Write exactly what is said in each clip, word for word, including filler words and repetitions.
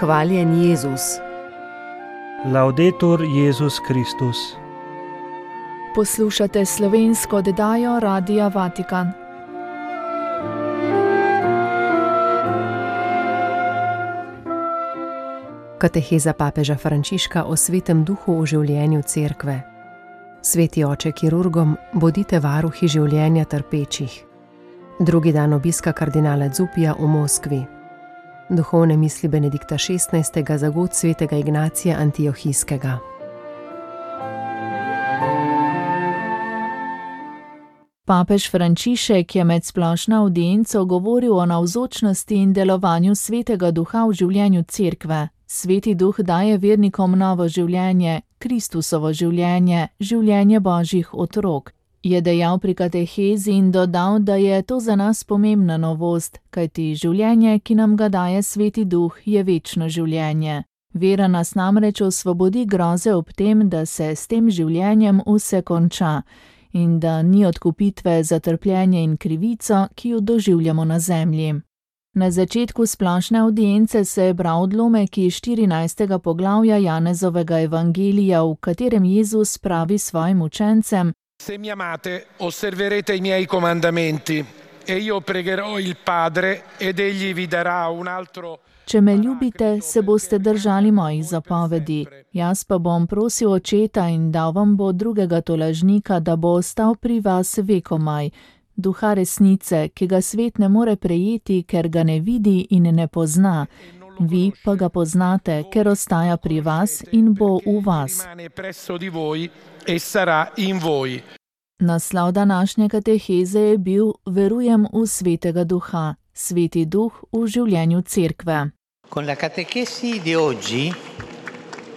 Hvaljen Jezus. Laudetur Jezus Kristus. Poslušate slovensko oddajo Radia Vatikan. Kateheza papeža Frančiška o svetem duhu v življenju cerkve. Sveti oče kirurgom, bodite varuhi življenja trpečih. Drugi dan obiska kardinala Zupija v Moskvi. Duhovne misli Benedikta šestnajstega za god svetega Ignacija Antiohijskega. Papež Frančišek je med splošno avdienco govoril o navzočnosti in delovanju svetega duha v življenju cerkve. Sveti duh daje vernikom novo življenje, Kristusovo življenje, življenje Božjih otrok, je dejal pri katehezi in dodal, da je to za nas pomembna novost, kajti življenje, ki nam ga daje sveti duh, je večno življenje. Vera nas namreč osvobodi groze ob tem, da se s tem življenjem vse konča in da ni odkupitve za trpljenje in krivico, ki jo doživljamo na zemlji. Na začetku splošne avdience se je bral odlomek iz štirinajstega poglavja Janezovega evangelija, v katerem Jezus pravi svojim učencem: Se mi amate, osserverete i miei comandamenti, e io pregherò il Padre, ed egli vi darà un altro. Če me ljubite, se boste držali mojih zapovedi. Jaz pa bom prosil Očeta in dal vam bo drugega tolažnika, da bo ostal pri vas vekomaj. Duha resnice, ki ga svet ne more prejeti, ker ga ne vidi in ne pozna. Vi pa ga poznate, ker ostaja pri vas in bo v vas. Naslov današnje kateheze je bil Verujem v svetega duha, sveti duh v življenju cerkve. Con la catechesi di oggi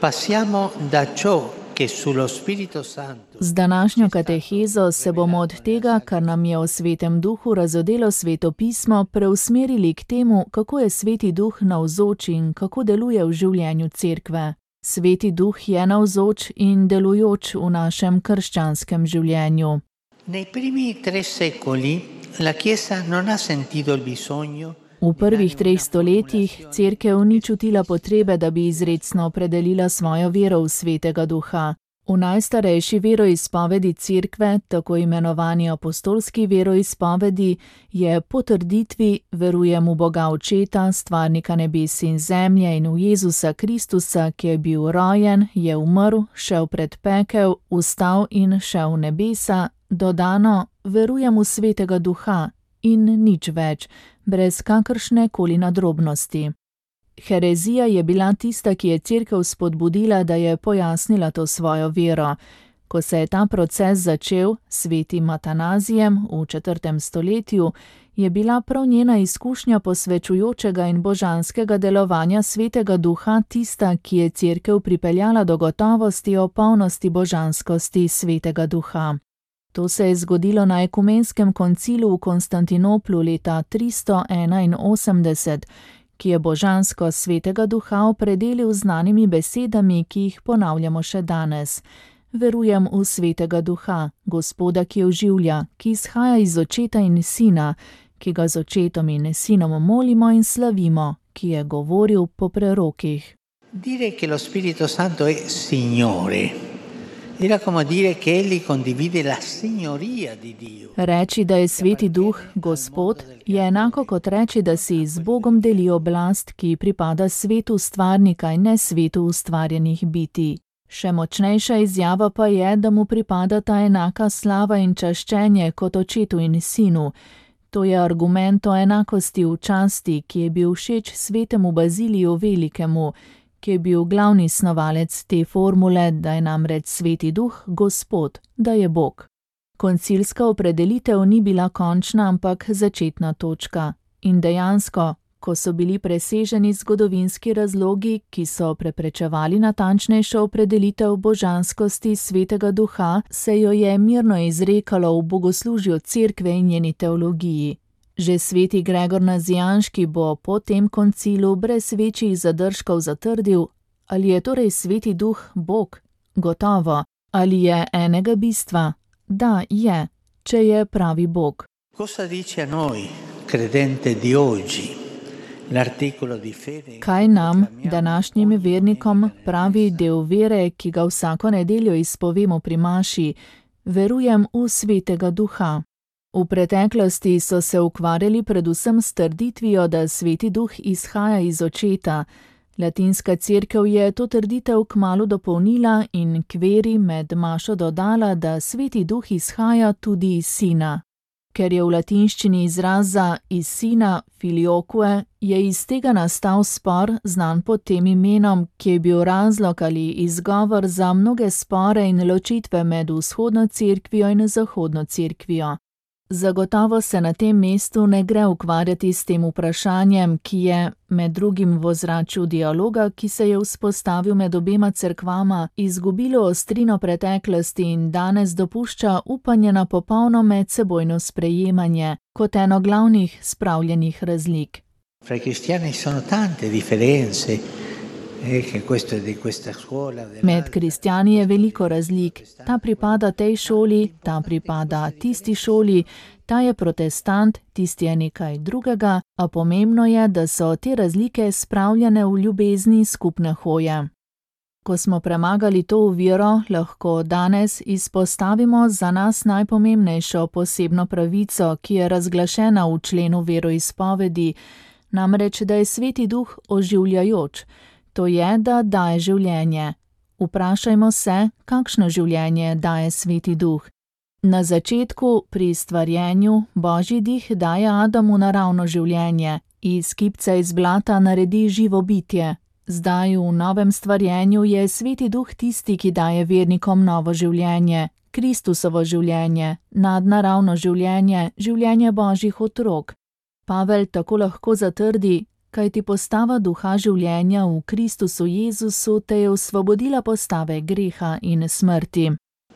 passiamo da ciò che sullo Spirito Santo. Z današnjo katehezo se bomo od tega, kar nam je o svetem duhu razodelo sveto pismo, preusmerili k temu, kako je sveti duh navzoč in kako deluje v življenju cerkve. Sveti duh je navzoč in delujoč v našem krščanskem življenju. Nei primi tre secoli la Chiesa non ha sentito il bisogno. V prvih treh stoletjih cerkev ni čutila potrebe, da bi izrecno opredelila svojo vero v svetega duha. V najstarejši veroizpovedi cerkve, tako imenovani apostolski veroizpovedi, je potrditvi verujem v Boga Očeta, stvarnika nebes in zemlje, in v Jezusa Kristusa, ki je bil rojen, je umrl, šel pred pekel, vstal in šel v nebesa, dodano verujem v svetega duha in nič več, brez kakršne koli nadrobnosti. Herezija je bila tista, ki je cerkev spodbudila, da je pojasnila to svojo vero. Ko se je ta proces začel s svetim Atanazijem v četrtem stoletju, je bila prav njena izkušnja posvečujočega in božanskega delovanja svetega duha tista, ki je cerkev pripeljala do gotovosti o polnosti božanskosti svetega duha. To se je zgodilo na ekumenskem koncilu v Konstantinoplu leta tristo enainosemdeset, ki je božansko svetega duha opredelil z znanimi besedami, ki jih ponavljamo še danes. Verujem v svetega duha, Gospoda, ki oživlja, ki izhaja iz Očeta in Sina, ki ga z Očetom in Sinom molimo in slavimo, ki je govoril po prerokih. Dire che lo Spirito Santo è Signore. Era come dire che egli condivide la signoria di Dio. Reči, da je sveti duh Gospod, je enako kot reči, da si z Bogom deli oblast, ki pripada svetu stvarnika in ne svetu ustvarjenih bitij. Še močnejša izjava pa je, da mu pripadata enaka slava in čaščenje kot Očetu in Sinu. To je argument o enakosti v časti, ki je bil všeč svetemu Baziliju Velikemu, ki je bil glavni snovalec te formule, da je namreč sveti duh Gospod, da je Bog. Koncilska opredelitev ni bila končna, ampak začetna točka. In dejansko, ko so bili preseženi zgodovinski razlogi, ki so preprečevali natančnejšo opredelitev božanskosti svetega duha, se jo je mirno izrekalo v bogoslužju cerkve in njeni teologiji. Že sveti Gregor Nazijanški bo po tem koncilu brez večjih zadržkov zatrdil, ali je torej sveti duh Bog? Gotovo. Ali je enega bistva? Da, je, če je pravi Bog. Cosa dice a noi, credente di oggi? Kaj nam, današnjim vernikom, pravi del vere, ki ga vsako nedeljo izpovemo pri maši? Verujem v Svetega Duha. V preteklosti so se ukvarjali predvsem s trditvijo, da Sveti Duh izhaja iz Očeta. Latinska cerkev je to trditev kmalu dopolnila in k veri med mašo dodala, da Sveti Duh izhaja tudi iz Sina. Ker je v latinščini izraza iz Sina filioque, je iz tega nastal spor, znan pod tem imenom, ki je bil razlog ali izgovor za mnoge spore in ločitve med vzhodno cerkvijo in zahodno cerkvijo. Zagotovo se na tem mestu ne gre ukvarjati s tem vprašanjem, ki je, med drugim v ozračju dialoga, ki se je vzpostavil med obema cerkvama, izgubilo ostrino preteklosti in danes dopušča upanje na popolno medsebojno sprejemanje, kot eno glavnih spravljenih razlik. Fra i cristiani sono tante differenze. Med kristjani je veliko razlik. Ta pripada tej šoli, ta pripada tisti šoli, ta je protestant, tisti je nekaj drugega, a pomembno je, da so te razlike spravljene v ljubezni skupne hoje. Ko smo premagali to oviro, lahko danes izpostavimo za nas najpomembnejšo posebno pravico, ki je razglašena v členu veroizpovedi, namreč, da je Sveti Duh oživljajoč. To je, da daje življenje. Vprašajmo se, kakšno življenje daje Sveti Duh. Na začetku, pri stvarjenju, Božji dih daje Adamu naravno življenje, iz kipca iz blata naredi živo bitje. Zdaj v novem stvarjenju je Sveti Duh tisti, ki daje vernikom novo življenje, Kristusovo življenje, nadnaravno življenje, življenje Božjih otrok. Pavel tako lahko zatrdi, kajti postava duha življenja v Kristusu Jezusu te je osvobodila postave greha in smrti.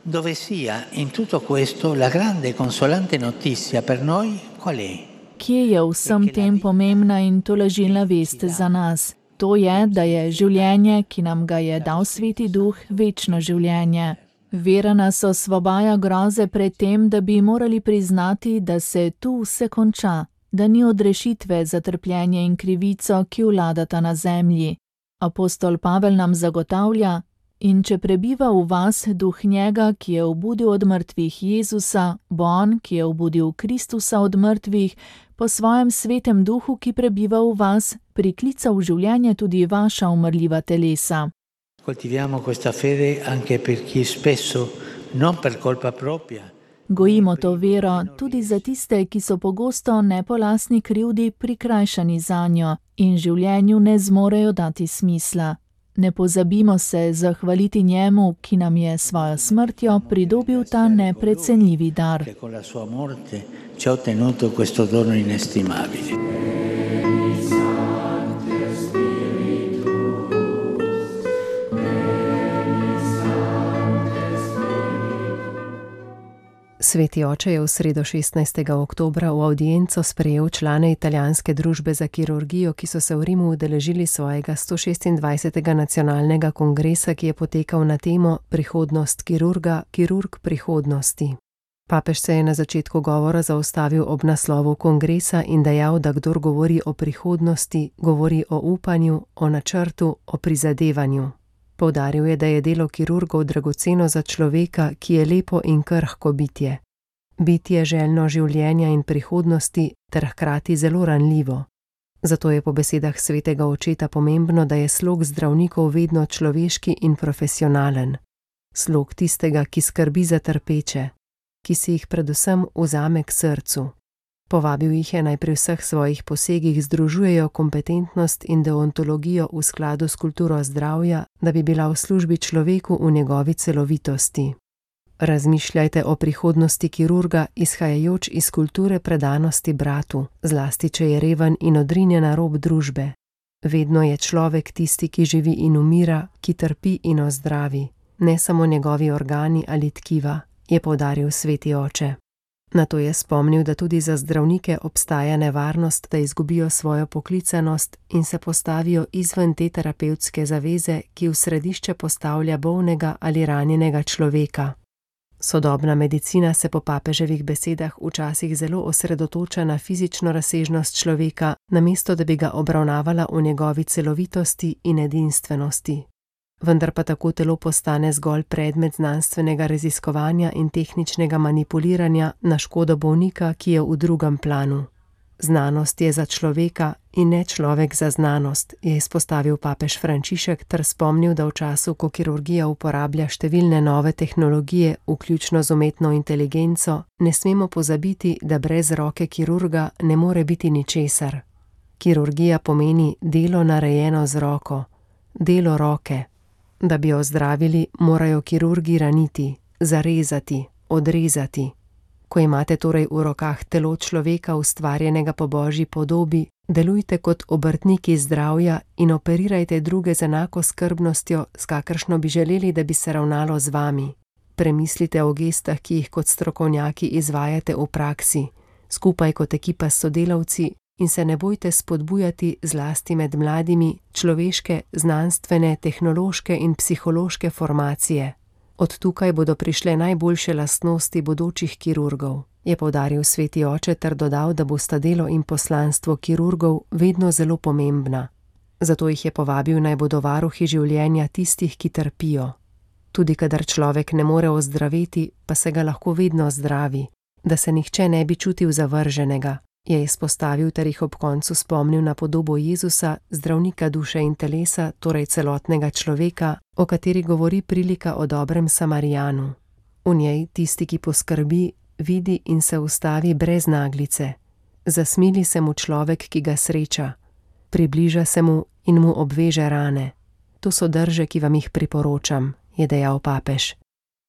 Dove sia in tutto questo la grande consolante notizia per noi qual è? Kje je vsem tem pomembna in tolažilna vest za nas? To je, da je življenje, ki nam ga je dal Sveti Duh, večno življenje. Vera nas osvobaja groze pred tem, da bi morali priznati, da se tu vse konča, da ni odrešitve za trpljenje in krivico, ki vladata na zemlji. Apostol Pavel nam zagotavlja, in če prebiva v vas duh njega, ki je obudil od mrtvih Jezusa, bo on, ki je obudil Kristusa od mrtvih, po svojem svetem duhu, ki prebiva v vas, priklica v življenje tudi vaša umrljiva telesa. Coltiviamo questa fede anche per chi spesso, non per colpa propria, Gojimo to vero tudi za tiste, ki so pogosto ne po lastni krivdi prikrajšani zanjo in življenju ne zmorejo dati smisla. Ne pozabimo se zahvaliti njemu, ki nam je svojo smrtjo pridobil ta neprecenljivi dar. Sveti oče je v sredo šestnajstega oktobra v avdienco sprejel člane italijanske družbe za kirurgijo, ki so se v Rimu udeležili svojega sto šestindvajsetega nacionalnega kongresa, ki je potekal na temo Prihodnost kirurga, kirurg prihodnosti. Papež se je na začetku govora zaustavil ob naslovu kongresa in dejal, da kdor govori o prihodnosti, govori o upanju, o načrtu, o prizadevanju. Poudaril je, da je delo kirurgov dragoceno za človeka, ki je lepo in krhko bitje. Bitje željno življenja in prihodnosti ter hkrati zelo ranljivo. Zato je po besedah svetega očeta pomembno, da je slog zdravnikov vedno človeški in profesionalen. Slog tistega, ki skrbi za trpeče, ki si jih predvsem vzame k srcu. Povabil jih je naj pri vseh svojih posegih združujejo kompetentnost in deontologijo v skladu s kulturo zdravja, da bi bila v službi človeku v njegovi celovitosti. Razmišljajte o prihodnosti kirurga, izhajajoč iz kulture predanosti bratu, zlasti če je reven in odrinjen na rob družbe. Vedno je človek tisti, ki živi in umira, ki trpi in ozdravi, ne samo njegovi organi ali tkiva, je poudaril sveti oče. Nato je spomnil, da tudi za zdravnike obstaja nevarnost, da izgubijo svojo poklicanost in se postavijo izven te terapevtske zaveze, ki v središče postavlja bolnega ali ranjenega človeka. Sodobna medicina se po papeževih besedah včasih zelo osredotoča na fizično razsežnost človeka, namesto da bi ga obravnavala v njegovi celovitosti in edinstvenosti. Vendar pa tako telo postane zgolj predmet znanstvenega raziskovanja in tehničnega manipuliranja na škodo bolnika, ki je v drugem planu. Znanost je za človeka in ne človek za znanost, je izpostavil papež Frančišek ter spomnil, da v času, ko kirurgija uporablja številne nove tehnologije, vključno z umetno inteligenco, ne smemo pozabiti, da brez roke kirurga ne more biti ničesar. Kirurgija pomeni delo narejeno z roko, delo roke. Da bi jo zdravili, morajo kirurgi raniti, zarezati, odrezati. Ko imate torej v rokah telo človeka, ustvarjenega po Božji podobi, delujte kot obrtniki zdravja in operirajte druge z enako skrbnostjo, s kakršno bi želeli, da bi se ravnalo z vami. Premislite o gestah, ki jih kot strokovnjaki izvajate v praksi, skupaj kot ekipa s sodelavci, in se ne bojte spodbujati zlasti med mladimi človeške, znanstvene, tehnološke in psihološke formacije. Od tukaj bodo prišle najboljše lastnosti bodočih kirurgov, je poudaril sveti oče ter dodal, da bosta delo in poslanstvo kirurgov vedno zelo pomembna. Zato jih je povabil, naj bodo varuhi življenja tistih, ki trpijo. Tudi kadar človek ne more ozdraveti, pa se ga lahko vedno zdravi, da se nihče ne bi čutil zavrženega, je izpostavil ter jih ob koncu spomnil na podobo Jezusa, zdravnika duše in telesa, torej celotnega človeka, o kateri govori prilika o dobrem Samarijanu. V njej tisti, ki poskrbi, vidi in se ustavi brez naglice. Zasmili se mu človek, ki ga sreča. Približa se mu in mu obveže rane. To so drže, ki vam jih priporočam, je dejal papež.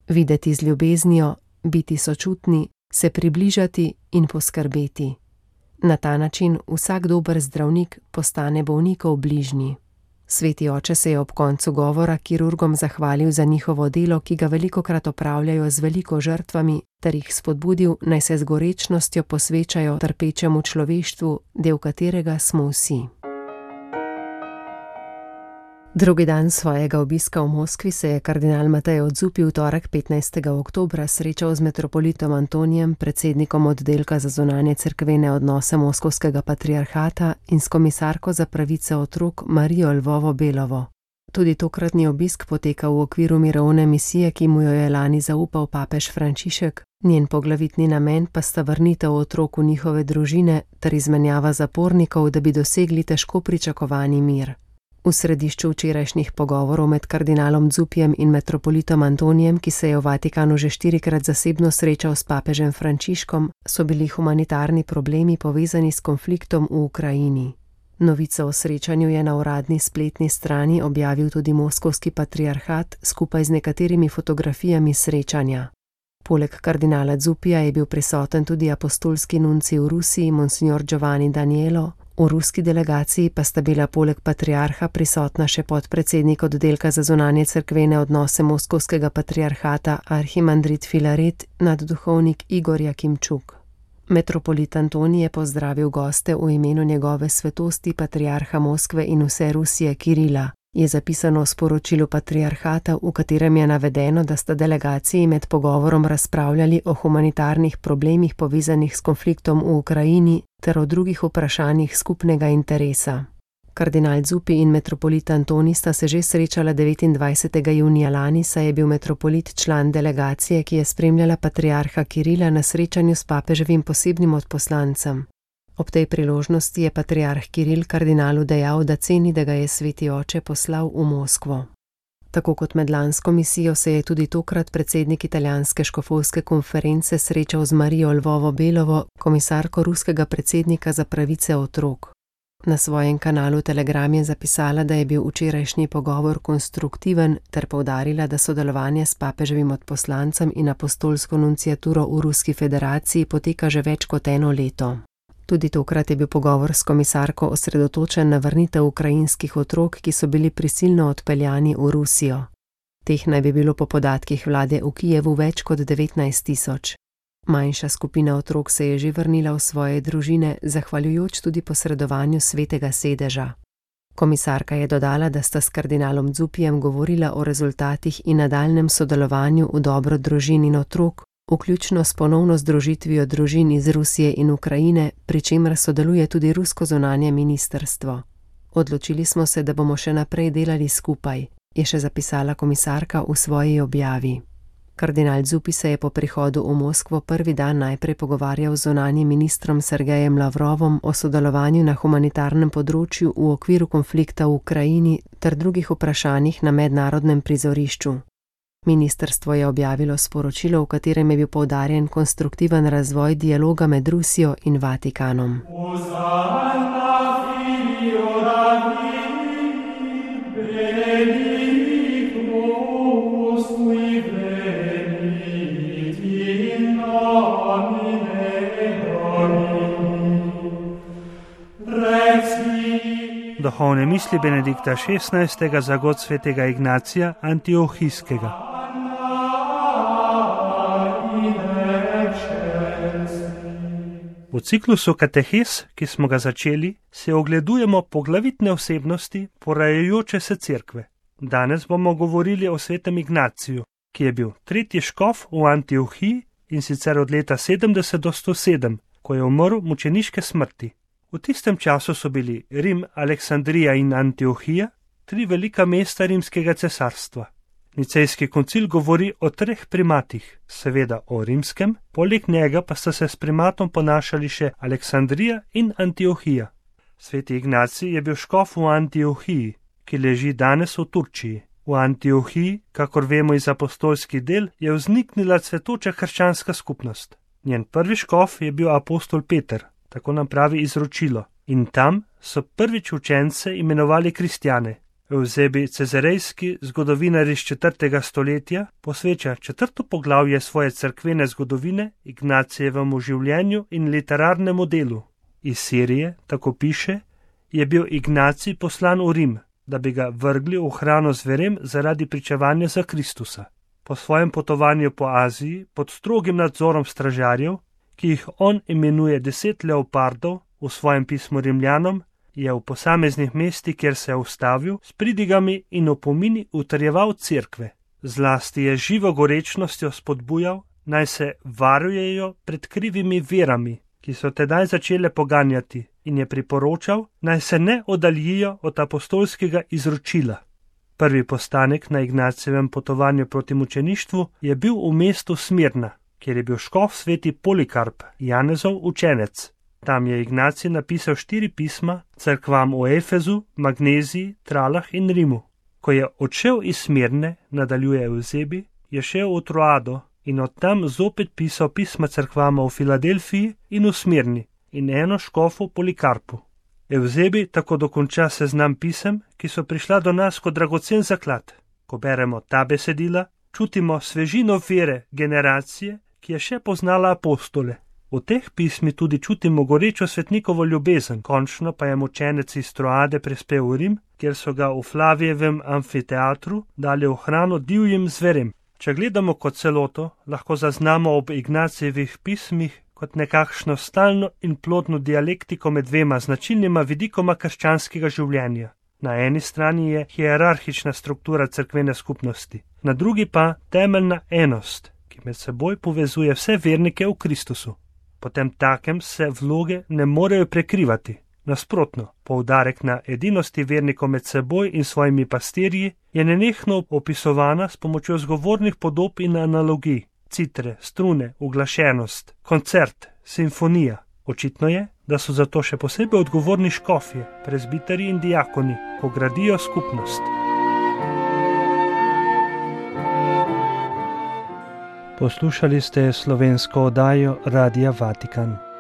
Videti z ljubeznijo, biti sočutni, se približati in poskrbeti. Na ta način vsak dober zdravnik postane bolnikov bližnji. Sveti oče se je ob koncu govora kirurgom zahvalil za njihovo delo, ki ga velikokrat opravljajo z veliko žrtvami, ter jih spodbudil, naj se z gorečnostjo posvečajo trpečemu človeštvu, del katerega smo vsi. Drugi dan svojega obiska v Moskvi se je kardinal Matej Odzupi v torek petnajstega oktobra srečal z metropolitom Antonijem, predsednikom oddelka za zunanje cerkvene odnose Moskovskega patriarhata, in s komisarko za pravice otrok Marijo Lvovo-Belovo. Tudi tokratni obisk poteka v okviru mirovne misije, ki mu jo je lani zaupal papež Frančišek, njen poglavitni namen pa sta vrnitev otrok v njihove družine ter izmenjava zapornikov, da bi dosegli težko pričakovani mir. V središču včerajšnjih pogovorov med kardinalom Dzupijem in metropolitom Antonijem, ki se je v Vatikanu že štirikrat zasebno srečal s papežem Frančiškom, so bili humanitarni problemi povezani s konfliktom v Ukrajini. Novico o srečanju je na uradni spletni strani objavil tudi Moskovski patriarhat skupaj z nekaterimi fotografijami srečanja. Poleg kardinala Dzupija je bil prisoten tudi apostolski nuncij v Rusiji, monsignor Giovanni Danielo. V ruski delegaciji pa sta bila poleg patriarha prisotna še podpredsednik oddelka za zunanje cerkvene odnose Moskovskega patriarhata arhimandrit Filaret, nadduhovnik Igor Jakimčuk. Metropolit Antonij je pozdravil goste v imenu njegove svetosti patriarha Moskve in vse Rusije Kirila. Je zapisano v sporočilu patriarhata, v katerem je navedeno, da sta delegaciji med pogovorom razpravljali o humanitarnih problemih povezanih s konfliktom v Ukrajini ter o drugih vprašanjih skupnega interesa. Kardinal Dzupi in metropolit Antonij sta se že srečala devetindvajsetega junija lani, saj je bil metropolit član delegacije, ki je spremljala patriarha Kirila na srečanju s papeževim posebnim odposlancem. Ob tej priložnosti je patriarh Kiril kardinalu dejal, da ceni, da ga je sveti oče poslal v Moskvo. Tako kot med lansko misijo se je tudi tokrat predsednik italijanske škofovske konference srečal z Marijo Lvovo-Belovo, komisarko ruskega predsednika za pravice otrok. Na svojem kanalu Telegram je zapisala, da je bil včerajšnji pogovor konstruktiven, ter poudarila, da sodelovanje s papeževim odposlancem in apostolsko nunciaturo v Ruski federaciji poteka že več kot eno leto. Tudi tokrat je bil pogovor s komisarko osredotočen na vrnitev ukrajinskih otrok, ki so bili prisilno odpeljani v Rusijo. Teh naj bi bilo po podatkih vlade v Kijevu več kot devetnajst tisoč. Manjša skupina otrok se je že vrnila v svoje družine, zahvaljujoč tudi posredovanju svetega sedeža. Komisarka je dodala, da sta s kardinalom Zupijem govorila o rezultatih in nadaljnem sodelovanju v dobro družin in otrok, vključno s ponovno združitvijo družin iz Rusije in Ukrajine, pri čemer sodeluje tudi rusko zunanje ministrstvo. Odločili smo se, da bomo še naprej delali skupaj, je še zapisala komisarka v svoji objavi. Kardinal Zupi se je po prihodu v Moskvo prvi dan najprej pogovarjal z zunanjim ministrom Sergejem Lavrovom o sodelovanju na humanitarnem področju v okviru konflikta v Ukrajini ter drugih vprašanjih na mednarodnem prizorišču. Ministrstvo je objavilo sporočilo, v katerem je bil poudarjen konstruktiven razvoj dialoga med Rusijo in Vatikanom. Duhovne misli Benedikta šestnajstega za god svetega Ignacija Antiohijskega. V ciklusu Katehes, ki smo ga začeli, se ogledujemo poglavitne osebnosti porajajoče se cerkve. Danes bomo govorili o svetem Ignaciju, ki je bil tretji škof v Antiohiji in sicer od leta sedemdeset do sto sedem, ko je umrl mučeniške smrti. V tistem času so bili Rim, Aleksandrija in Antiohija, tri velika mesta rimskega cesarstva. Nicejski koncil govori o treh primatih, seveda o rimskem, poleg njega pa sta se s primatom ponašali še Aleksandrija in Antiohija. Sveti Ignacij je bil škof v Antiohiji, ki leži danes v Turčiji. V Antiohiji, kakor vemo iz apostolskih del, je vzniknila cvetoča krščanska skupnost. Njen prvi škof je bil apostol Peter, tako nam pravi izročilo, in tam so prvič učence imenovali kristjane. Eusebi Cezarejski, zgodovinar iz četrtega stoletja, posveča četrto poglavje svoje cerkvene zgodovine Ignacijevemu življenju in literarnemu delu. Iz Sirije, tako piše, je bil Ignacij poslan v Rim, da bi ga vrgli v hrano zverem zaradi pričevanja za Kristusa. Po svojem potovanju po Aziji, pod strogim nadzorom stražarjev, ki jih on imenuje deset leopardov v svojem pismu Rimljanom, je v posameznih mestih, kjer se je ustavil, s pridigami in opomini utrjeval cerkve. Zlasti je živo gorečnostjo spodbujal, naj se varujejo pred krivimi verami, ki so tedaj začele poganjati, in je priporočal, naj se ne oddaljijo od apostolskega izročila. Prvi postanek na Ignacijevem potovanju proti mučeništvu je bil v mestu Smirna, kjer je bil škof sveti Polikarp, Janezov učenec. Tam je Ignacij napisal štiri pisma cerkvam v Efezu, Magneziji, Tralah in Rimu. Ko je odšel iz Smirne, nadaljuje Eusebi, je šel v Troado in od tam zopet pisal pisma cerkvama v Filadelfiji in v Smirni in eno škofu Polikarpu. Eusebi tako dokonča seznam pisem, ki so prišla do nas kot dragocen zaklad. Ko beremo ta besedila, čutimo svežino vere generacije, ki je še poznala apostole. V teh pismi tudi čutimo gorečo svetnikovo ljubezen, končno pa je mučenec iz Troade prispel v Rim, kjer so ga v Flavijevem amfiteatru dali v hrano divjim zverem. Če gledamo kot celoto, lahko zaznamo ob Ignacijevih pismih kot nekakšno stalno in plodno dialektiko med dvema značilnima vidikoma krščanskega življenja. Na eni strani je hierarhična struktura cerkvene skupnosti, na drugi pa temeljna enost, ki med seboj povezuje vse vernike v Kristusu. Potem takem se vloge ne morejo prekrivati. Nasprotno, poudarek na edinosti vernikov med seboj in svojimi pastirji je nenehno opisovana s pomočjo zgovornih podob in analogij, citre, strune, uglašenost, koncert, simfonija. Očitno je, da so zato še posebej odgovorni škofje, prezbiteri in diakoni, ko gradijo skupnost. Poslušali ste slovensko oddajo Radia Vatikan.